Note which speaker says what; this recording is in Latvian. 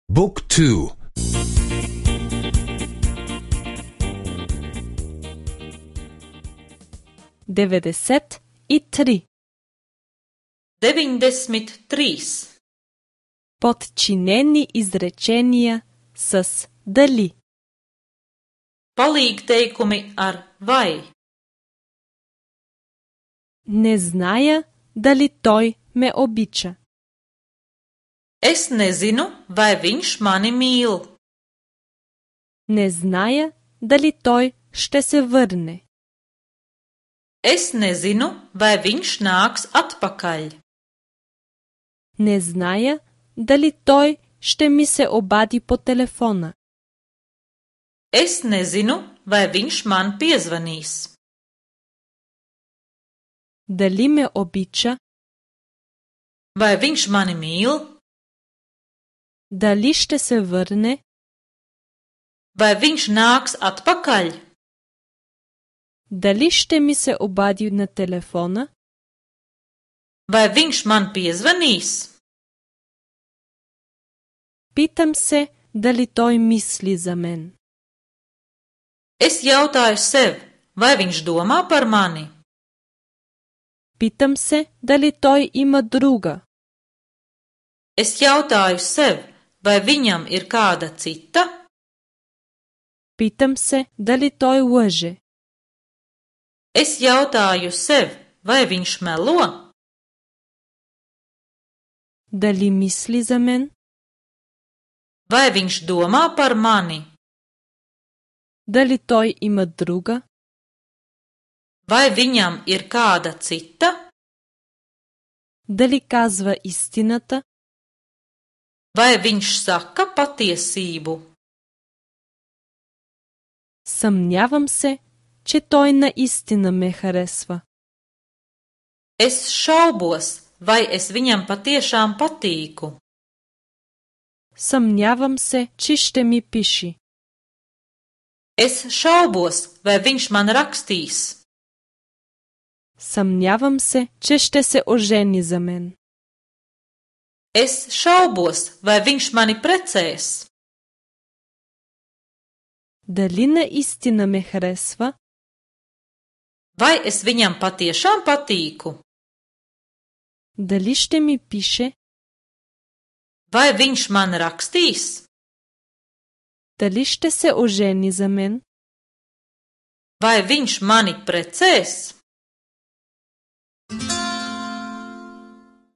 Speaker 1: Book 2.
Speaker 2: 93.
Speaker 3: 93.
Speaker 2: Подчинени изречения с дали.
Speaker 3: Palīgteikumi ar vai.
Speaker 2: Не зная дали той ме обича.
Speaker 3: Es nezinu, vai viņš mani mīl.
Speaker 2: Не зная дали той ще се върне.
Speaker 3: Es nezinu, vai viņš nāks atpakaļ.
Speaker 2: Не зная дали той ще ми се обади по телефона.
Speaker 3: Es nezinu, vai viņš man piezvanīs.
Speaker 2: Дали ме обича?
Speaker 3: Vai viņš mani mīl?
Speaker 2: Дали ще се върне?
Speaker 3: Vai viņš nāks atpakaļ?
Speaker 2: Дали ще ми се обади на телефона?
Speaker 3: Vai viņš man piezvanīs?
Speaker 2: Питам се дали той мисли за мен.
Speaker 3: Es jautāju sev, vai viņš domā par mani?
Speaker 2: Питам се дали той има друга.
Speaker 3: Es jautāju sev, vai viņam ir kāda cita?
Speaker 2: Питам се дали той лъже.
Speaker 3: Es jautāju sev, vai viņš melo?
Speaker 2: Дали мисли за мен?
Speaker 3: Vai viņš domā par mani?
Speaker 2: Дали той има друга?
Speaker 3: Vai viņam ir kāda cita?
Speaker 2: Дали казва истината?
Speaker 3: Vai viņš saka patiesību?
Speaker 2: Съмнявам се, че той наистина ме харесва.
Speaker 3: Es šaubos, vai es viņam patiešām patīku.
Speaker 2: Съмнявам се, че ще ми пише.
Speaker 3: Es šaubos, vai viņš man rakstīs.
Speaker 2: Съмнявам се, че ще се ожени за мен.
Speaker 3: Es šaubos, vai viņš mani precēs.
Speaker 2: Дали наистина ме харесва?
Speaker 3: Vai es viņam patiešām patīku?
Speaker 2: Дали ще ми пише?
Speaker 3: Vai viņš man rakstīs?
Speaker 2: Дали ще се ожени за мен?
Speaker 3: Vai viņš mani precēs?